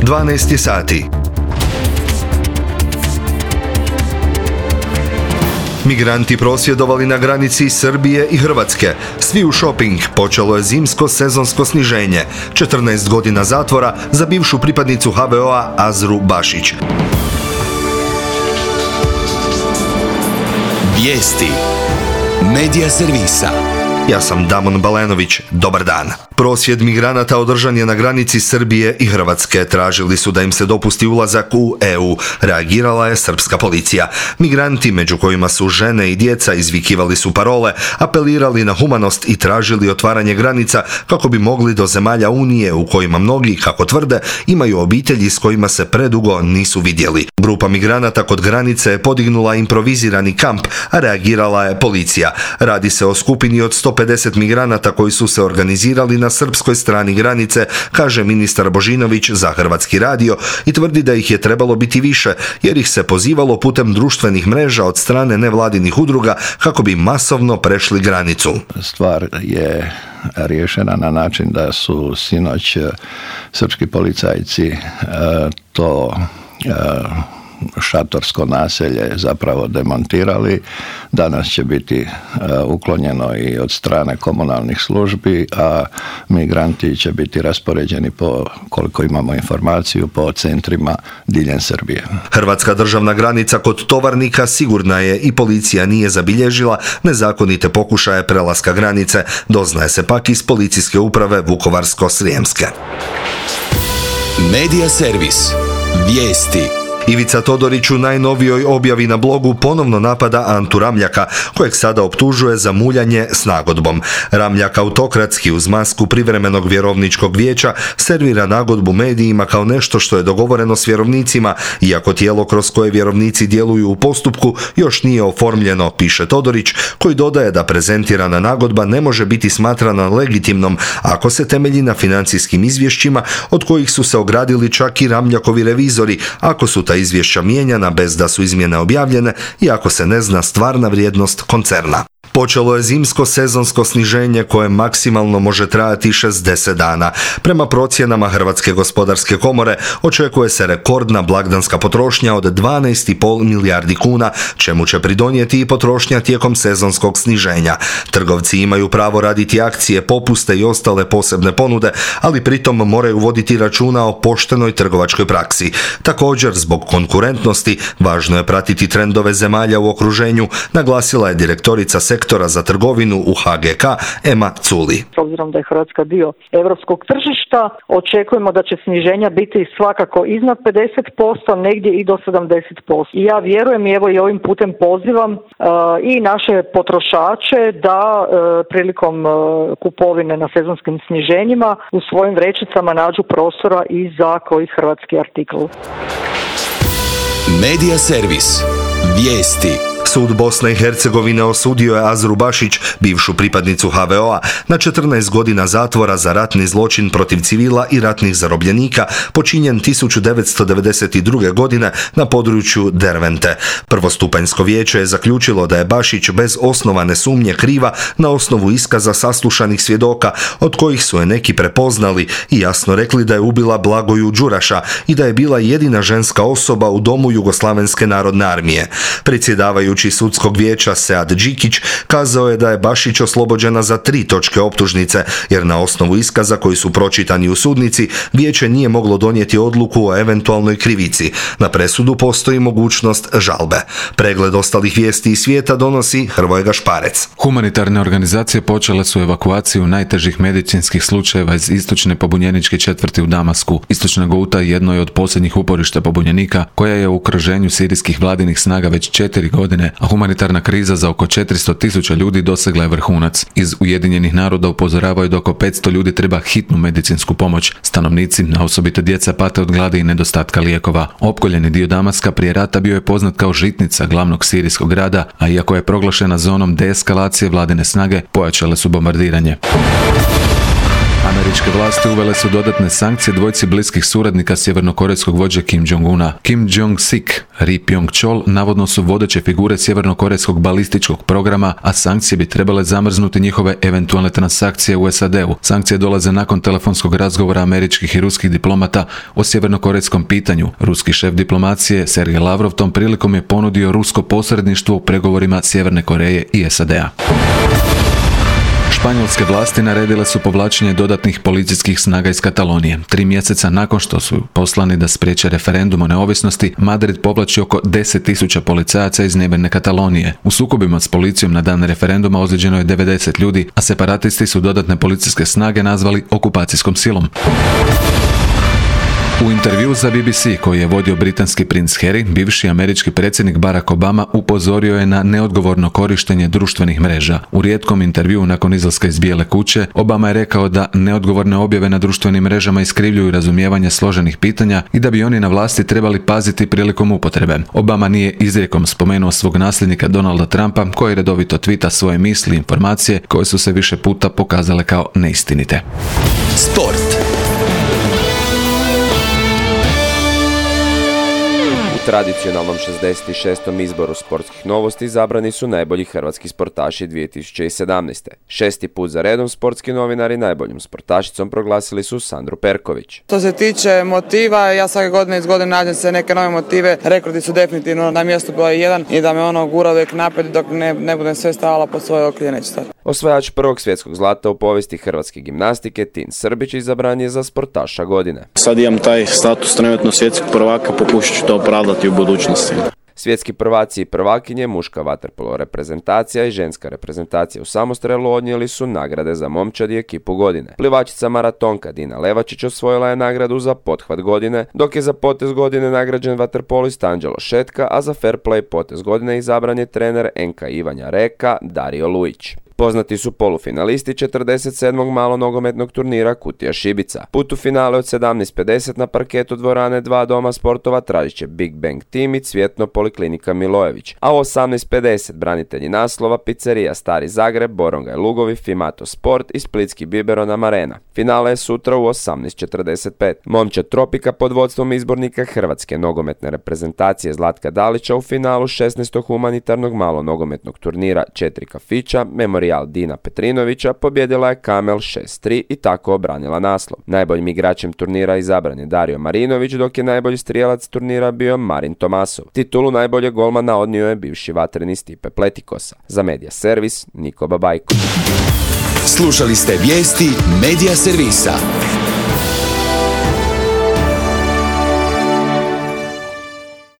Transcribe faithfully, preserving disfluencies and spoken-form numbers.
dvanaest je sati. Migranti prosvjedovali na granici Srbije i Hrvatske. Svi u shopping, počelo je zimsko sezonsko sniženje. četrnaest godina zatvora za bivšu pripadnicu ha ve o-a Azru Bašić. Vijesti Medija servisa. Ja sam Damon Balenović. Dobar dan. Prosvjed migranata održan je na granici Srbije i Hrvatske. Tražili su da im se dopusti ulazak u e u. Reagirala je srpska policija. Migranti, među kojima su žene i djeca, izvikivali su parole, apelirali na humanost i tražili otvaranje granica kako bi mogli do zemalja Unije u kojima mnogi, kako tvrde, imaju obitelji s kojima se predugo nisu vidjeli. Grupa migranata kod granice je podignula improvizirani kamp, a reagirala je policija. Radi se o skupini od sto pedeset migranata koji su se organizirali na srpskoj strani granice, kaže ministar Božinović za Hrvatski radio i tvrdi da ih je trebalo biti više jer ih se pozivalo putem društvenih mreža od strane nevladinih udruga kako bi masovno prešli granicu. Stvar je riješena na način da su sinoć srpski policajci to šatorsko naselje zapravo demontirali. Danas će biti uh, uklonjeno i od strane komunalnih službi, a migranti će biti raspoređeni po, koliko imamo informaciju, po centrima diljem Srbije. Hrvatska državna granica kod Tovarnika sigurna je i policija nije zabilježila nezakonite pokušaje prelaska granice, doznaje se pak iz policijske uprave Vukovarsko-srijemske. Medija servis. Vijesti. Ivica Todorić u najnovijoj objavi na blogu ponovno napada Antu Ramljaka, kojeg sada optužuje za muljanje s nagodbom. Ramljak autokratski uz masku privremenog vjerovničkog vijeća servira nagodbu medijima kao nešto što je dogovoreno s vjerovnicima, iako tijelo kroz koje vjerovnici djeluju u postupku još nije oformljeno, piše Todorić, koji dodaje da prezentirana nagodba ne može biti smatrana legitimnom ako se temelji na financijskim izvješćima od kojih su se ogradili čak i Ramljakovi revizori, ako su ta izvješća mijenjana bez da su izmjene objavljene i ako se ne zna stvarna vrijednost koncerna. Počelo je zimsko sezonsko sniženje koje maksimalno može trajati šezdeset dana. Prema procjenama Hrvatske gospodarske komore očekuje se rekordna blagdanska potrošnja od dvanaest zarez pet milijardi kuna, čemu će pridonijeti i potrošnja tijekom sezonskog sniženja. Trgovci imaju pravo raditi akcije, popuste i ostale posebne ponude, ali pritom moraju voditi računa o poštenoj trgovačkoj praksi. Također, zbog konkurentnosti, važno je pratiti trendove zemalja u okruženju, naglasila je direktorica sektora za trgovinu u ha ge ka Ema Culi. S obzirom da je Hrvatska dio europskog tržišta, očekujemo da će sniženja biti svakako iznad pedeset posto, negdje i do sedamdeset posto. I ja vjerujem i evo i ovim putem pozivam uh, i naše potrošače da uh, prilikom uh, kupovine na sezonskim sniženjima u svojim vrećicama nađu prostora i za koji hrvatski artikl. Medija servis. Vijesti. Sud Bosne i Hercegovine osudio je Azru Bašić, bivšu pripadnicu ha ve o-a, na četrnaest godina zatvora za ratni zločin protiv civila i ratnih zarobljenika počinjen tisuću devetsto devedeset druge. godine na području Dervente. Prvostupanjsko vijeće je zaključilo da je Bašić bez osnovane sumnje kriva na osnovu iskaza saslušanih svjedoka, od kojih su je neki prepoznali i jasno rekli da je ubila Blagoju Đuraša i da je bila jedina ženska osoba u domu Jugoslavenske narodne armije. Predsjedavajući sudskog vijeća Sead Đikić kazao je da je Bašić oslobođena za tri točke optužnice, jer na osnovu iskaza koji su pročitani u sudnici, vijeće nije moglo donijeti odluku o eventualnoj krivici. Na presudu postoji mogućnost žalbe. Pregled ostalih vijesti iz svijeta donosi Hrvoje Gašparec. Humanitarne organizacije počele su evakuaciju najtežih medicinskih slučajeva iz istočne pobunjeničke četvrti u Damasku. Istočna Gouta jedno je od posljednjih uporišta pobunjenika, koja je u okruženju sirijskih vladinih snaga već četiri godine, a humanitarna kriza za oko četiristo tisuća ljudi dosegla je vrhunac. Iz Ujedinjenih naroda upozoravaju da oko petsto ljudi treba hitnu medicinsku pomoć. Stanovnici, a osobito djeca, pate od gladi i nedostatka lijekova. Opkoljeni dio Damaska prije rata bio je poznat kao žitnica glavnog sirijskog grada, a iako je proglašena zonom deeskalacije, vladine snage pojačale su bombardiranje. Američke vlasti uvele su dodatne sankcije dvojci bliskih suradnika sjevernokorejskog vođe Kim Jong-una. Kim Jong-sik, Ri Pyong-chol navodno su vodeće figure sjevernokorejskog balističkog programa, a sankcije bi trebale zamrznuti njihove eventualne transakcije u S A D-u. Sankcije dolaze nakon telefonskog razgovora američkih i ruskih diplomata o sjevernokorejskom pitanju. Ruski šef diplomacije Sergej Lavrov tom prilikom je ponudio rusko posredništvo u pregovorima Sjeverne Koreje i S A D-a. Španjolske vlasti naredile su povlačenje dodatnih policijskih snaga iz Katalonije. Tri mjeseca nakon što su poslani da spriječe referendum o neovisnosti, Madrid povlači oko deset tisuća policajaca iz nebene Katalonije. U sukobima s policijom na dan referenduma ozlijeđeno je devedeset ljudi, a separatisti su dodatne policijske snage nazvali okupacijskom silom. U intervju za B B C koji je vodio britanski princ Harry, bivši američki predsjednik Barack Obama upozorio je na neodgovorno korištenje društvenih mreža. U rijetkom intervjuu nakon izlaska iz Bijele kuće, Obama je rekao da neodgovorne objave na društvenim mrežama iskrivljuju razumijevanje složenih pitanja i da bi oni na vlasti trebali paziti prilikom upotrebe. Obama nije izrijekom spomenuo svog nasljednika Donalda Trumpa, koji redovito tvita svoje misli i informacije koje su se više puta pokazale kao neistinite. Sport. U tradicionalnom šezdeset šestom izboru sportskih novosti izabrani su najbolji hrvatski sportaši dvije tisuće sedamnaeste. Šesti put za redom sportski novinari najboljom sportašicom proglasili su Sandru Perković. Što se tiče motiva, ja svake godine iz godine nađem se neke nove motive. Rekordi su definitivno na mjestu broj jedan i da me ono gura uvijek naprijed dok ne, ne budem sve stavila pod svoje okrilje, neću stati. Osvajač prvog svjetskog zlata u povijesti hrvatske gimnastike Tin Srbić izabran je za sportaša godine. Sad imam taj status trenutno svjetskog prvaka, pokušat ću to opravdati u budućnosti. Svjetski prvaci i prvakinje, muška vaterpolo reprezentacija i ženska reprezentacija u samostrelu odnijeli su nagrade za momčad i ekipu godine. Plivačica maratonka Dina Levačić osvojila je nagradu za pothvat godine, dok je za potez godine nagrađen vaterpolist Anđelo Šetka, a za fair play potez godine izabran je trener N K Ivanja Reka Dario Lujić. Poznati su polufinalisti četrdeset sedmog malonogometnog turnira Kutija Šibica. Put u finale od sedamnaest pedeset na parketu dvorane dva Doma sportova tražit će Big Bang Team i Cvjetno Poliklinika Milojević, a u osamnaest pedeset branitelji naslova Pizzerija Stari Zagreb, Borongaj Lugovi, Fimato Sport i Splitski Biberon Arena. Finale je sutra u osamnaest četrdeset pet. Momčad Tropika pod vodstvom izbornika hrvatske nogometne reprezentacije Zlatka Dalića u finalu šesnaestog humanitarnog malonogometnog turnira Četiri kafića Memorial Dina Petrinovića pobjedila je Kamel šest tri i tako obranila naslov. Najboljim igračem turnira izabran je Dario Marinović, dok je najbolji strijelac turnira bio Marin Tomasov. Titulu najboljeg golmana odnio je bivši vatreni Stipe Pletikosa. Za Medija Servis, Niko Babajko. Slušali ste vijesti Medija Servisa.